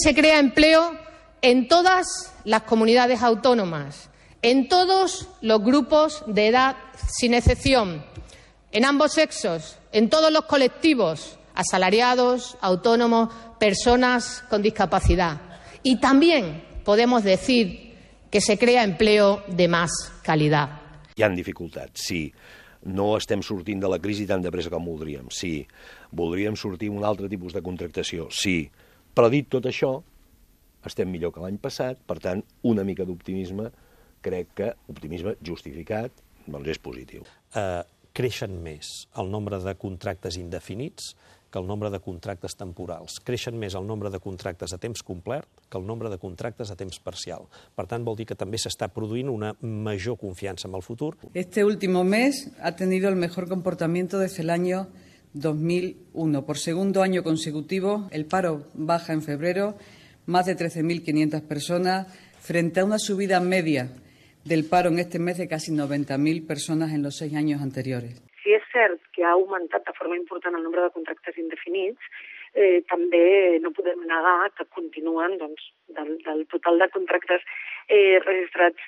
se crea empleo en todas las comunidades autónomas, en todos los grupos de edad, sin excepción, en ambos sexos, en todos los colectivos, asalariados, autónomos, personas con discapacidad. Y también podemos decir que se crea empleo de más calidad. Hi ha dificultats, sí. No estem sortint de la crisi tan de pressa com voldríem, sí. Voldríem sortir amb un altre tipus de contractació, sí. Però dit tot això, estem millor que l'any passat, per tant, una mica d'optimisme, crec que optimisme justificat, doncs és positiu. Creixen més el nombre de contractes indefinits que el nombre de contractes temporals. Creixen més el nombre de contractes a temps complet que el nombre de contractes a temps parcial. Per tant, vol dir que també s'està produint una major confiança en el futur. Este último mes ha tenido el mejor comportamiento desde el año 2001. Por segundo año consecutivo, el paro baja en febrero, más de 13.500 personas, frente a una subida media del paro en este mes de casi 90.000 persones en los 6 anys anteriors. Si és cert que ha augmentat de forma important el nombre de contractes indefinits, també no podem negar que continuen, doncs, del total de contractes registrats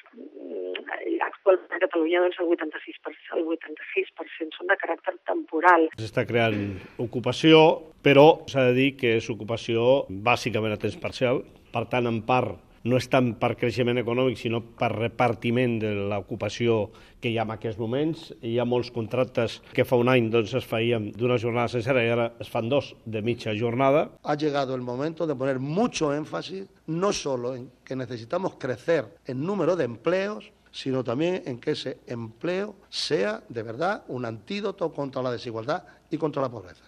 actualment a Catalunya, doncs el 86% són de caràcter temporal. S'està creant ocupació, però s'ha de dir que és ocupació bàsicament a temps parcial, per tant, en part, no és tant per creixement econòmic, sinó per repartiment de l'ocupació que hi ha en aquests moments. Hi ha molts contractes que fa un any doncs, es feien d'una jornada sencera i ara es fan 2 de mitja jornada. Ha llegado el momento de poner mucho énfasis, no solo en que necesitamos crecer en número de empleos, sino también en que ese empleo sea de verdad un antídoto contra la desigualdad y contra la pobreza.